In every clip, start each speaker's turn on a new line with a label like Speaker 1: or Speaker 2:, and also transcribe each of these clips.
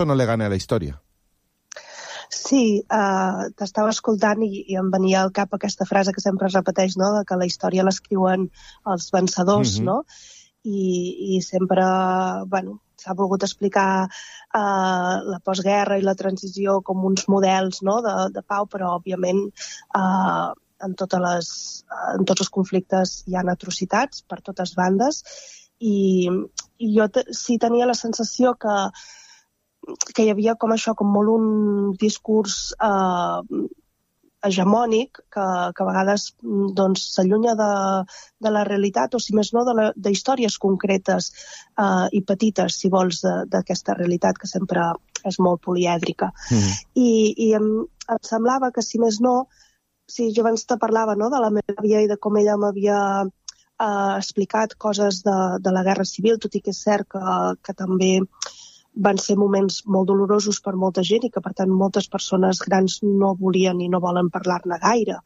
Speaker 1: relato no le gane a la historia.
Speaker 2: Sí, t'estava escoltant i em venia al cap aquesta frase que sempre es repeteix, no?, de que la història l'escriuen els vencedors, no? I sempre, bueno, s'ha volgut explicar la postguerra i la transició com uns models, no?, de pau, però òbviament en tots els conflictes hi ha atrocitats per totes bandes i jo sí tenia la sensació que hi havia com això, com molt un discurs hegemònic que a vegades doncs, s'allunya de la realitat o, si més no, de històries concretes i petites, si vols, d'aquesta realitat que sempre és molt polièdrica. I em semblava que, si més no, si jo abans te parlava, no?, de la meva àvia i de com ella m'havia explicat coses de la Guerra Civil, tot i que és cert que també van ser moments molt dolorosos per molta gent i que, per tant, moltes persones grans no volien i no volen parlar-ne gaire.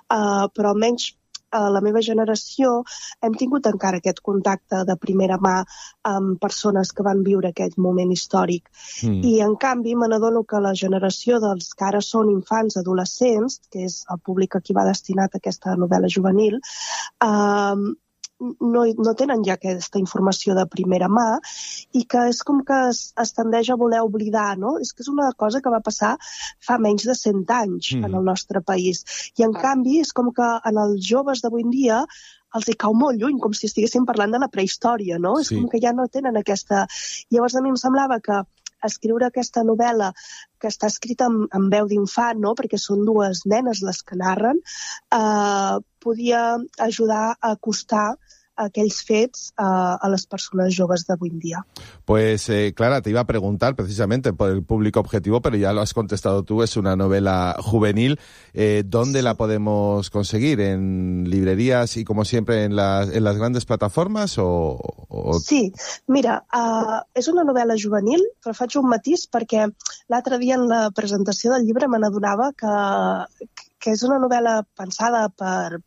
Speaker 2: Però almenys la meva generació hem tingut encara aquest contacte de primera mà amb persones que van viure aquest moment històric. I, en canvi, me n'adono que la generació dels que ara són infants, adolescents, que és el públic a qui va destinat aquesta novel·la juvenil, no tenen ja aquesta informació de primera mà i que és com que es tendeix a voler oblidar, no? És que és una cosa que va passar fa menys de 100 anys en el nostre país. I, en canvi, és com que en els joves d'avui en dia els hi cau molt lluny, com si estiguéssim parlant de la prehistòria, no? És com que ja no tenen aquesta... Llavors, a mi em semblava que escriure aquesta novel·la, que està escrita en veu d'infant, no?, perquè són dues nenes les que narren, podia ajudar a acostar aquells fets a les persones joves d'avui en día.
Speaker 1: Pues, Clara, te iba a preguntar precisamente por el público objetivo, pero ya lo has contestado tú, es una novela juvenil. ¿Dónde la podemos conseguir? ¿En librerías y, como siempre, en las grandes plataformas?
Speaker 2: Sí, mira, és una novel·la juvenil, però faig un matís perquè l'altre dia en la presentació del llibre me n'adonava que és una novel·la pensada per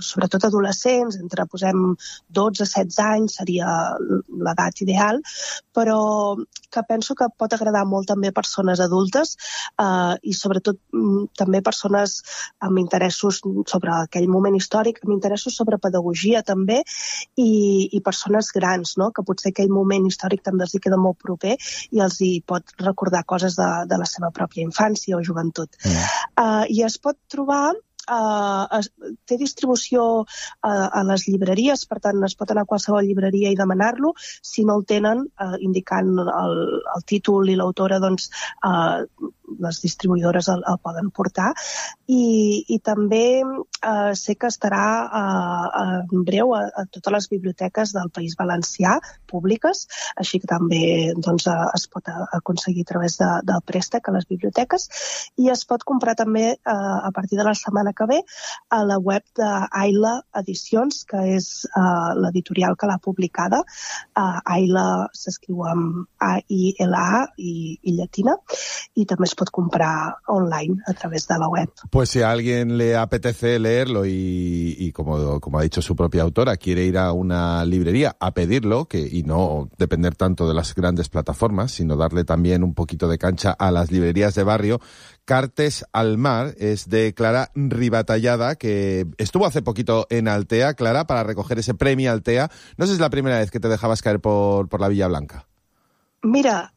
Speaker 2: sobretot adolescents, entre, posem, 12 a 16 anys seria l'edat ideal, però que penso que pot agradar molt també a persones adultes i sobretot també persones amb interessos sobre aquell moment històric, amb interessos sobre pedagogia també i persones grans, no?, que potser aquell moment històric també els hi queda molt proper i els hi pot recordar coses de la seva pròpia infància o joventut. I es pot trobar, té distribució a les llibreries, per tant es pot anar a qualsevol llibreria i demanar-lo. Si no el tenen, indicant el títol i l'autora, doncs les distribuïdores el poden portar. I també sé que estarà en breu a totes les biblioteques del País Valencià públiques, així que també es pot aconseguir a través del préstec a les biblioteques i es pot comprar també a partir de la setmana que ve a la web d'Aila Edicions, que és l'editorial que l'ha publicada. Aila s'escriu amb A-I-L-A i llatina, i també es pot comprar online a través de la web.
Speaker 1: Pues si a alguien le apetece leerlo y como ha dicho su propia autora, quiere ir a una librería a pedirlo y no depender tanto de las grandes plataformas, sino darle también un poquito de cancha a las librerías de barrio, Cartes al mar es de Clara Ribatallada, que estuvo hace poquito en Altea, Clara, para recoger ese premio Altea. No sé si es la primera vez que te dejabas caer por la Villa Blanca.
Speaker 2: Mira,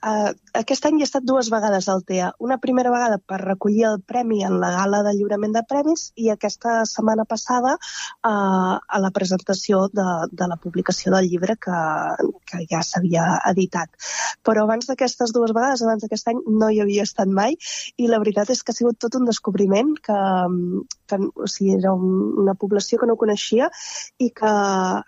Speaker 2: aquest any he estat 2 vegades a Altea. Una primera vegada per recollir el premi en la gala de lliurament de premis i aquesta setmana passada a la presentació de la publicació del llibre que ja s'havia editat. Però abans d'aquestes 2 vegades, abans d'aquest any, no hi havia estat mai i la veritat és que ha sigut tot un descobriment que o sigui, era una població que no coneixia i que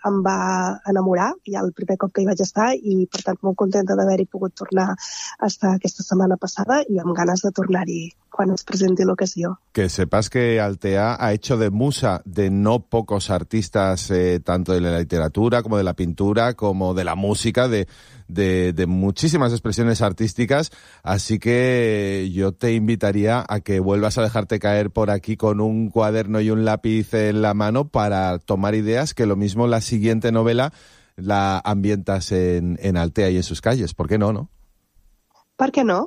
Speaker 2: em va enamorar ja el primer cop que hi vaig estar i, per tant, molt contenta d'haver-hi pogut tornar a estar aquesta setmana passada i amb ganes de tornar-hi quan es presenti l'ocasió.
Speaker 1: Que sepas que Altea ha hecho de musa de no pocos artistas, tanto de la literatura como de la pintura, como de la música, de muchísimas expresiones artísticas, así que yo te invitaría a que vuelvas a dejarte caer por aquí con un cuaderno y un lápiz en la mano para tomar ideas, que lo mismo la siguiente novela la ambientas en Altea y en sus calles. ¿Por qué no, no?
Speaker 2: ¿Por qué no?